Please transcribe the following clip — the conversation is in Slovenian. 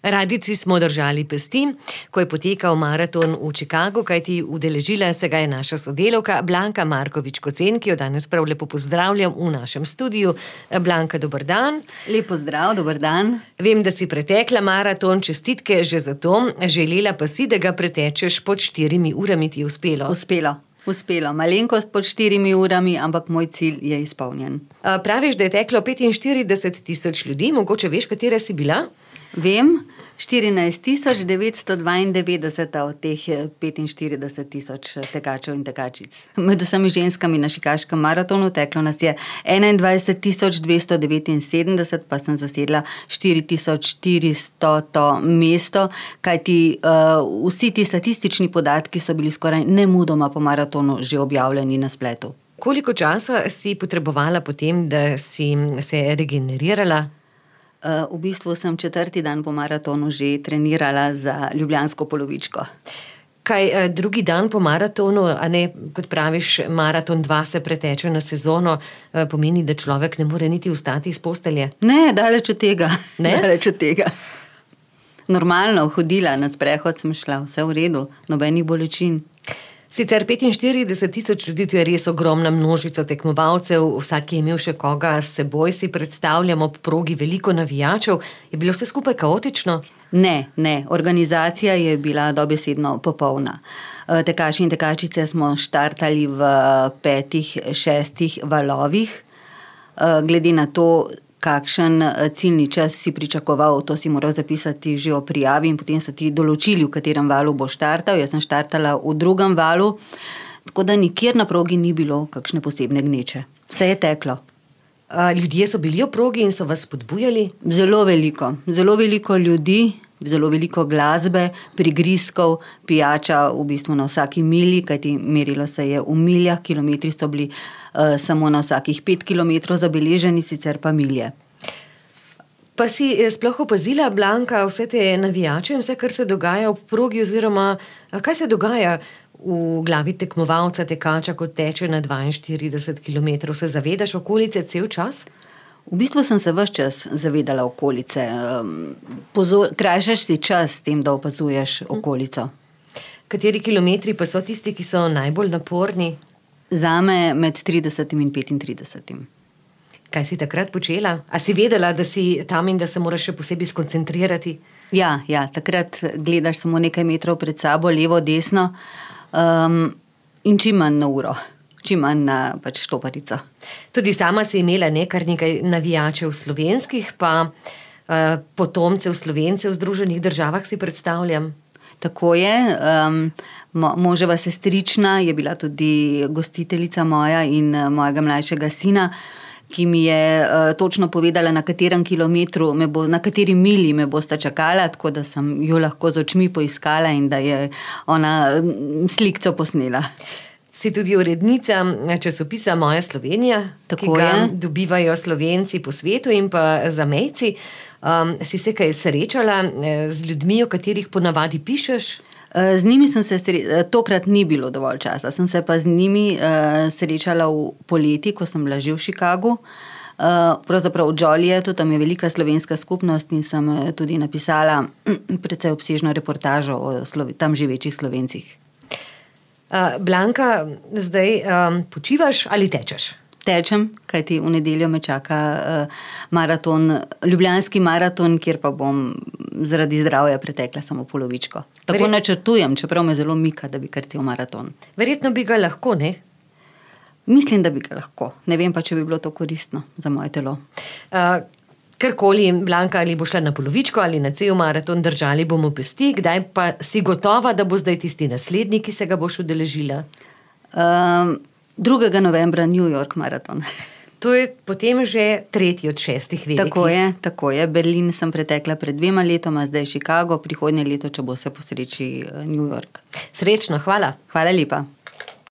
Radici smo držali pesti, ko je potekal maraton v Chicagu, kajti udeležila se ga je naša sodelavka Blanka Markovič-Kocen, ki jo danes prav lepo pozdravljam v našem studiu. Blanka, dober dan. Lep pozdrav, dober dan. Vem, da si pretekla maraton, čestitke že za to. Želela pa si, da ga pretečeš pod 4 urami, ti je uspelo. Uspelo. Malenkost pod 4 urami, ampak moj cilj je izpolnjen. Praviš, da je teklo 45.000 ljudi, mogoče veš, katera si bila? Vem, 14.992 od teh 45.000 tekačev in tekačic. Med vsemi ženskami na Chicaškem maratonu teklo nas je 21.279, pa sem zasedla 4.400 mesto, kajti vsi ti statistični podatki so bili skoraj nemudoma po maratonu že objavljeni na spletu. Koliko časa si potrebovala potem, da si se regenerirala? V bistvu sem 4. dan po maratonu že trenirala za ljubljansko polovičko. Kaj drugi dan po maratonu, a ne, kot praviš, maraton 2 se preteče na sezono, pomeni, da človek ne more niti vstati iz postelje? Ne, daleč od tega. Ne? Daleč od tega. Normalno hodila, na sprehod sem šla, vse v redu, nobenih bolečin. Sicer 45.000 ljudi, to je res ogromna množica tekmovalcev, vsak je imel še koga s seboj, si predstavljamo ob progi veliko navijačev. Je bilo vse skupaj kaotično? Ne, organizacija je bila dobesedno popolna. Tekači in tekačice smo štartali v 5-6 valovih. Glede na to, kakšen ciljni čas si pričakoval, to si moral zapisati že o prijavi in potem so ti določili, v katerem valu bo štartal. Jaz sem štartala v 2. valu, tako da nikjer na progi ni bilo kakšne posebne gneče. Vse je teklo. Ljudje so bili v progi in so vas spodbujali? Zelo veliko ljudi, zelo veliko glasbe, prigrizkov, pijača v bistvu na vsaki milji, kajti merilo se je v miljah, kilometri so bili samo na vsakih 5 kilometrov zabeleženi, sicer pa milje. Pa si sploh opazila, Blanka, vse te navijače in vse, kar se dogaja v progi, oziroma kaj se dogaja v glavi tekmovalca, tekača, kot teče na 42 kilometrov? Se zavedaš okolice cel čas? V bistvu sem se ves čas zavedala okolice. Krajšaš si čas s tem, da opazuješ okolico. Kateri kilometri pa so tisti, ki so najbolj naporni? Zame med 30 in 35. Kaj si takrat počela? A si vedela, da si tam in da se moraš še posebej skoncentrirati? Ja, takrat gledaš samo nekaj metrov pred sabo, levo, desno, in čim manj na uro, čim manj na štoparico. Tudi sama si imela kar nekaj navijačev slovenskih, pa potomcev Slovencev v Združenih državah, si predstavljam. Tako je. Moževa sestrična je bila tudi gostiteljica moja in mojega mlajšega sina, ki mi je točno povedala, na katerem kilometru, na kateri milji me bosta čakala, tako da sem jo lahko z očmi poiskala in da je ona slikco posnela. Si tudi urednica časopisa Moja Slovenija, ki ga dobivajo Slovenci po svetu in pa zamejci. Si se kaj srečala z ljudmi, o katerih ponavadi pišeš? Z njimi sem se tokrat ni bilo dovolj časa. Sem se pa z njimi srečala v poleti, ko sem bila že v Chicagu. Pravzaprav v Jolietu, tam je velika slovenska skupnost in sem tudi napisala precej obsežno reportažo o tam živečih Slovencih. Blanka, zdaj počivaš ali tečeš? Tečem, kajti v nedeljo me čaka ljubljanski maraton, kjer pa bom zaradi zdravja pretekla samo polovičko. Tako načrtujem, čeprav me zelo mika, da bi kar cel maraton. Verjetno bi ga lahko, ne? Mislim, da bi ga lahko. Ne vem pa, če bi bilo to koristno za moje telo. Karkoli, Blanka, ali bo šla na polovičko ali na cel maraton, držali bomo pesti. Kdaj pa si gotova, da bo zdaj tisti naslednji, ki se ga boš udeležila? 2. novembra New York maraton. To je potem že 3. od 6 velikih. Tako je. Berlin sem pretekla pred 2 letoma, zdaj Chicago, prihodnje leto, če bo se posreči New York. Srečno, hvala. Hvala lepa.